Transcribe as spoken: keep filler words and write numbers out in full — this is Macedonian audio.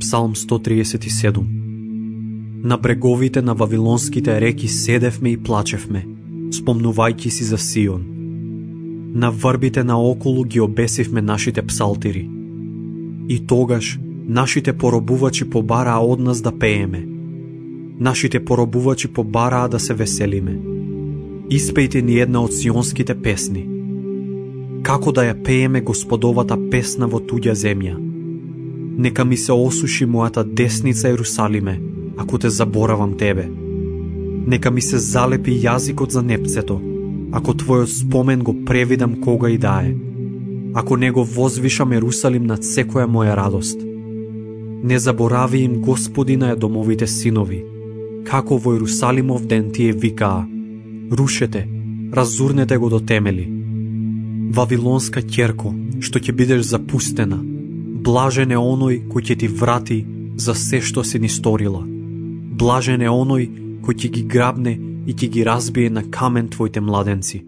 Псалм сто триесет и седум. На бреговите на вавилонските реки седевме и плачевме, спомнувајќи си за Сион. На врбите наоколу ги обесивме нашите псалтири. И тогаш нашите поробувачи побараа од нас да пееме. Нашите поробувачи побараа да се веселиме. Испејте ни една од сионските песни. Како да ја пееме Господовата песна во туѓа земја. Нека ми се осуши мојата десница, Ерусалиме, ако те заборавам тебе. Нека ми се залепи јазикот за непцето, ако твојот спомен го превидам кога и да е. Ако не го возвишам Ерусалим над секоја моја радост. Не заборави им Господина е домовите синови, како во Ерусалимов ден тие викаа: рушете, разурнете го до темели. Вавилонска ќерко, што ќе бидеш запустена, блажен е оној кој ќе ти врати за се што си ни сторила. Блажен е оној кој ќе ги грабне и ќе ги разбие на камен твоите младенци.